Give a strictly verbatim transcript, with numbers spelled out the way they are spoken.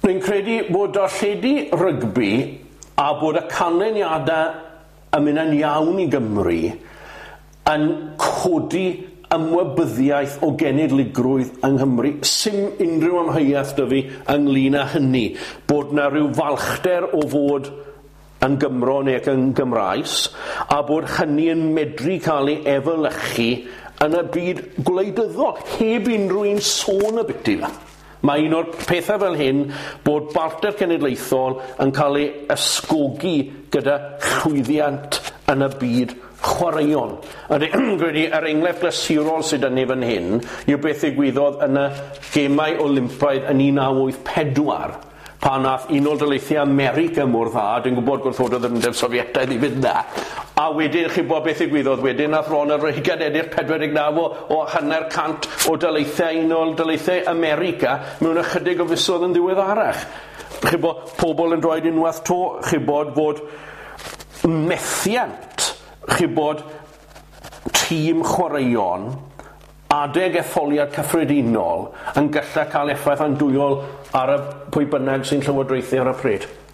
Rwy'n credu bod darlledu rygbi a bod y canlyniadau yn mynd yn iawn i Gymru yn codi ymwybyddiaeth o genedligrwydd yng Nghymru. Sim unrhyw amheuaeth 'da fi ynglyn â hynny. Bod na rhyw falchder o fod yn Gymro neu ac yn Gymraes, a bod hynny yn medru cael ei efelychu yn y byd gwleidyddol, heb unrhyw un sôn y biti fe. Mae un o'r pethau fel hyn bod balchder cenedlaethol yn cael ei ysgogi gyda llwyddiant yn y byd chwaraeon. A dwi'n credu yr enghraifft glasurol sydd yn fan hyn yw beth ddigwyddodd yn y Gemau Olympaidd yn un naw wyth pedwar pan nath Unol Daleithiau America mor dda, dwi'n gwybod gwrthododd yr Undeb Sofietaidd i fynd na, a wedyn chi bod beth ddigwyddodd wedyn, nath Ronald Reagan ennill pedwar deg naw o, o hanner cant o daleithiau Unol Daleithiau America mewn ychydig o fisoedd yn ddiweddarach. Chi bod pobl yn dweud unwaith to, chi bod fod methiant, chi bod tîm chwaraeon adeg etholiad cyffredinol yn gallu cael effaith andwyol ar y pwy bynnag sy'n llywodraethu ar y pryd.